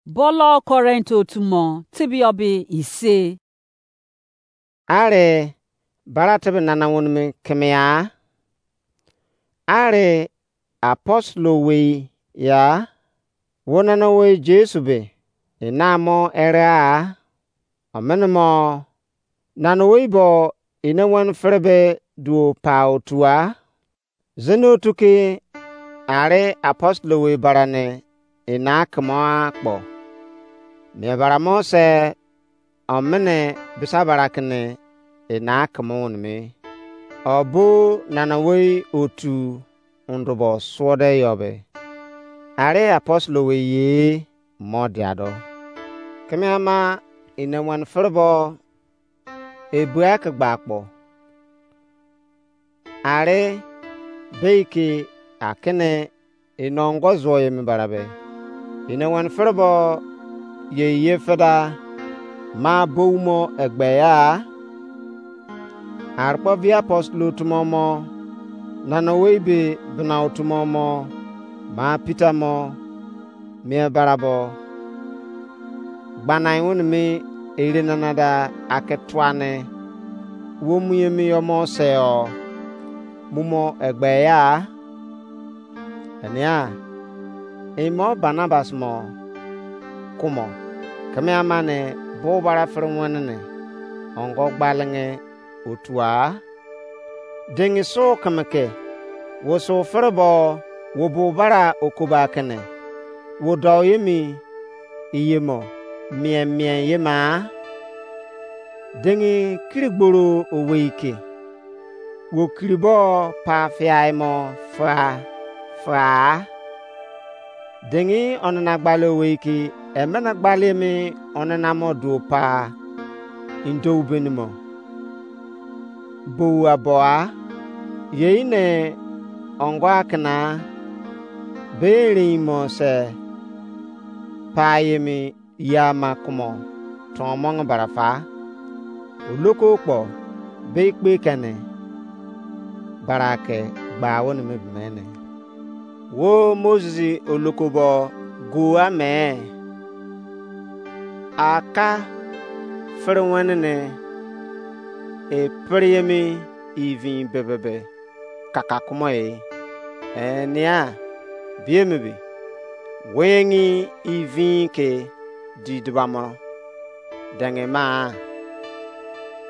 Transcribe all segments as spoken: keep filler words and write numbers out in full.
Bolo Korint otu mo tibio be ise. Are bara tebe nana wonimi kemea. Are apostle owei ya. Wo nana owei Jesu be ina mo ere a. Omene mo nana owei bo ina wani fere be duo pa otua. Zini otu ke are apostle owei bara ne ina kemo akpo. Mie bara mo se omene bisa bara kene ina kemo wonimi. Obo nana wei otu undubo suode yobe. Are apostle owei ye mo diado. Keme ama ina wani fere bo ebua ke gba akpo. Are bei ke akene ino ongo zuo ye mi bara be. Ina wani fere bo ye ye feda ma bou mo egbe ya. Arukpo vi apostle otu mo mo nana owei be bina otu mo mo ma Peter mo mie bara bo. Gbanai wene mi ere nana da ake tua ne wo mu ye mi yo mo se o mu mo egbe ya. Enia imo Barnabas mo kumo keme ama ne bo bara fere wene ne ongo gbalenge otua. Dengi su keme ke wo su fere bo wo bo bara okoba kene wo dou ye mi iye mo mien mien ye ma. Dengi kiri gboro owei ke wo kiri bo pa fiai mo fa fa. Dengi onana gbale owei ke emene gbale mi onana mo duo pa indo beni mo. Bou aboa yei ne ongo akena be erein mo se pa ye mi ya ma kumo ton mo bara fa. Oloko kpo be ikpe kene bara ke gba wene mi bemene. Wo Moses oloko bo gua me aka fere wene ne e pere ye mi ivin bebebe kaka kumo e. Enia biemi bi wengi ivin ke di dubamo denge ma.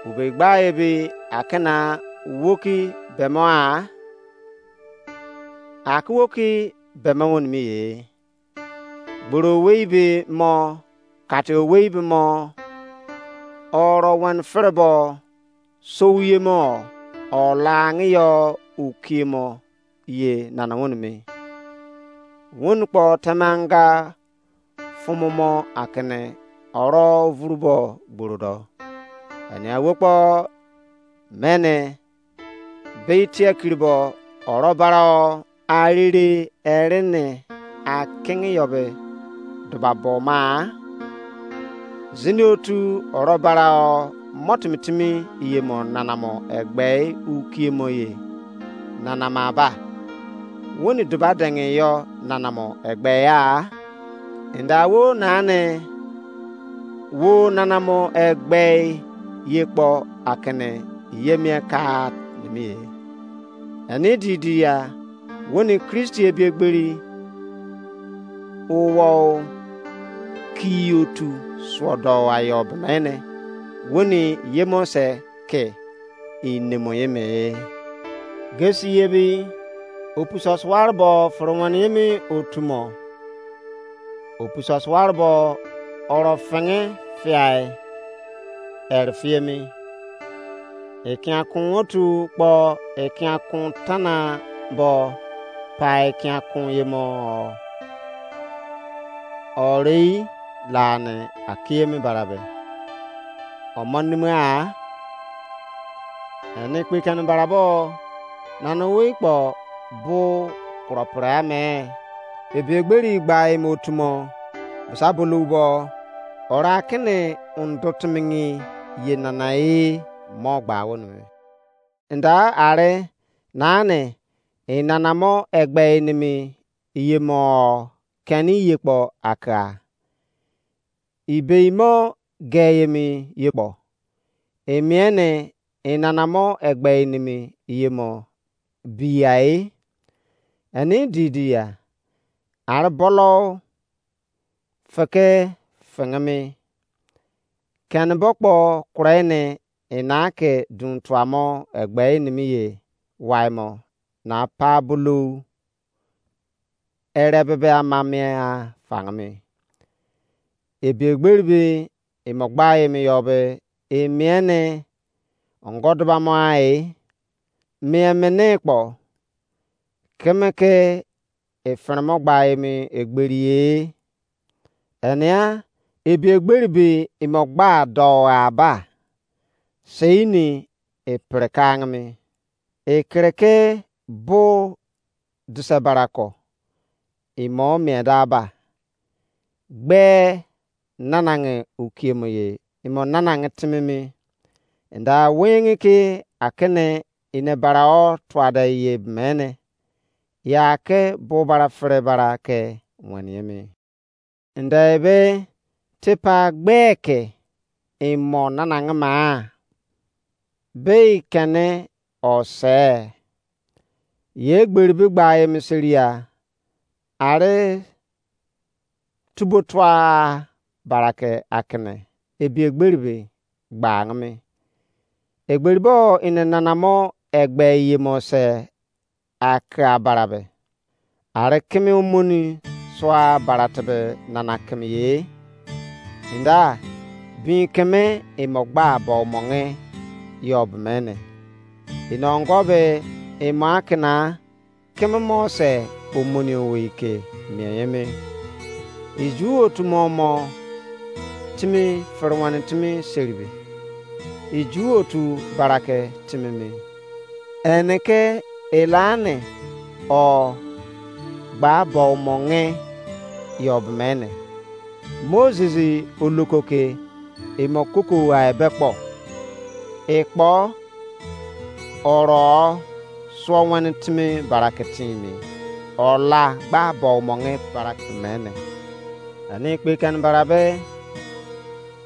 Ube gba ebi akena woki bemo a. Aki woki bemo wonimi ye. Gboro owei be mo kate owei be mo oro wene fere bo sou ye mo o langi yo ukie mo ye nana wene mi. Wene kpo temanga fumu mo akene oro vuru bo gboro do. Enia wo kpo mene be tie kiri bo oro bara o arere ere ne akingi yo be duba bo ma. Zini otu oro bara o mo timi timi iye mo nana mo egbe ukie mo ye nana ma ba. Woni duba dengi yo nana mo egbe ya. Enda wo nane wo nana mo egbe ye kpo akene ye mie ka nimi ye. Eni di di ya woni Kristi ebiegberi uwo ki otu suodo ayo bemene woni yemo se ke inemo ye me. Gesi ye bi opuso suwar bo fere wen ye mi otu mo. Opuso suwar bo oro fenge fiai ere fie mi. Ekian kun otu kpo ekian kun tana bo pa ekian kun ye mo. Orei la ne akie mi barabe. Omo nime a ene kpe kene barabo nana owei kpo bu kuro pre ame. Ebi egberi gba emo otu mo basa bulou bo ora kene undo timingi ye nana e mo gba wonu. Nda are nane e nana mo egbe enimi iye mo keni iye kpo aka. ibei mo ge emi ye kpo, emiene enana mo egbe nimi ye mo biai. Eni didi ya, ari bolo feke fengeme. Kene bo kpo kure ne ena ke dun tua mo egbe nimi ye wai mo na pa bulou ere bebe ama mia fangeme. Ebi egberi be imo gba emi yo be emiene ongo duba mo ai, mie mene kpo keme ke efere mo gba emi egberi ye. Enea ebi egberi be imo gba do aba, sei ni epere ka angeme. Ekereke bo dise barako imo mie da ba, gbe nanange ukiemo ye imo nanange timimi. Nda wengi ke akene ine bara o tuade ye mene, ya ke bo bara fere bara ke weniemi. Nda ebe tipa gbe ke imo nanange ma, bei kene ose. Ye egberi be gba emi seria, ari tubo tua barake akene ebi egberi be gba angeme. Egberi bo ine nana mo egbe ye mo se ake abara be, ari keme omoni sua bara tebe nana keme ye. Nda bin keme imo gba bo monge yo bemene. Ino ongo be imo akena keme mo se omoni owei ke mie emi. Iju otu mo mo timi fere wene timi seribe. Iju otu barake timimi. Ene ke elane o gba bo monge yo bemene. Moses oloko ke imo koko wa ebe kpo, ekpo oro suo wene timi barake timi, ola gba bo monge barake mene. Ani kpe kene bara be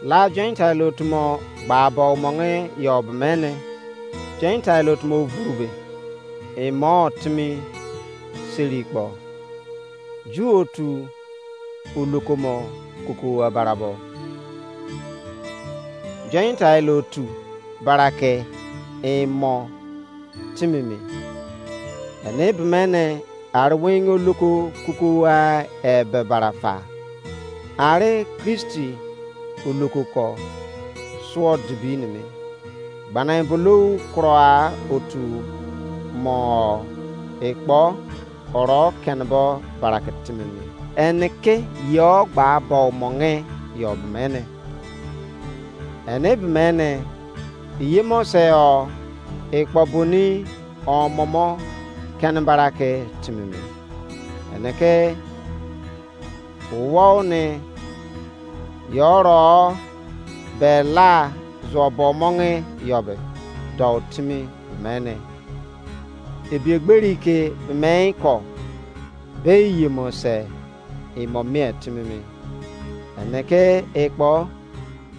la Gentile otu mo gba bo monge yo bemene. Gentile otu mo vuru be imo timi seri kpo, Ju otu oloko mo koko abarabo. Gentile otu barake imo timimi. Ene bemene ari wenge oloko kuku wa ebe bara fa. Ari Kristi oloko ko suo dibi nimi. Gbana bulou kuro a otu mo ekpo oro kenebo barake timimi. Ene ke yo gba bo monge yo bemene. Ene bemene, iye mo se o ekpo boni omomo kene barake timimi. Ene ke uwou ni yoro be la zuo bo monge yo be do timi bemene. Ebi egberi ke bemei ko be iye mo se imo mie timimi. Ene ke ekpo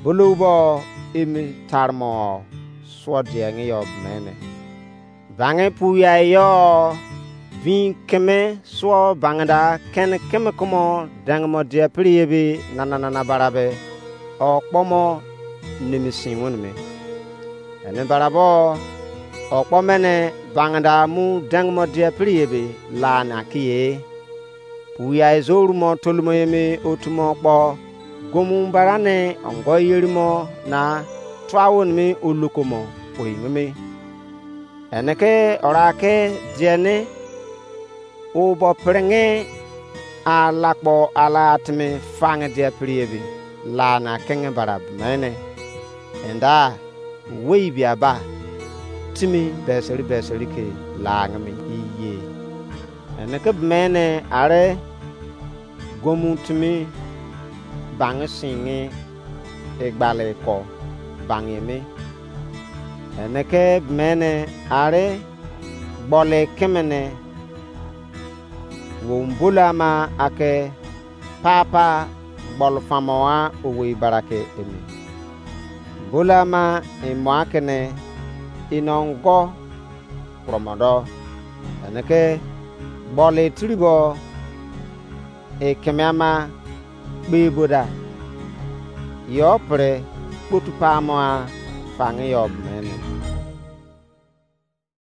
bulou bo emi tarmo suo dienge yo bemene. Bange pu ya yo vin keme suo bangeda kene keme kumo dengemo die pri ebi nana nana bara be okpo mo nimi sin wene me. Ene bara bo okpo mene bangeda mu dengemo die pri ebi la na kiye. Pu ya izo rumo tolumo emi otu mo kpo gomu bara ne ongo yeri mo na tua wene me oloko mo oyi me. Ene ke ora ke diene o bo prenge alakpo ala atimi fange dia pri ebi la na kenge bara bemene. Enda wei bia ba timi beseri beseri ke la nge me iye. Ene ke bemene are gomu timi bange singe egbale ko bange me. Ene ke bemene are gbole kemene wo mbolo ama ake papa gbolu famo-a owei barake emi. Bolu ama emo akene inongo kuromo do, eneke gbolu tiribo ekeme ama kpe boda, yo pre kpotu pamo-a fangi yo mene.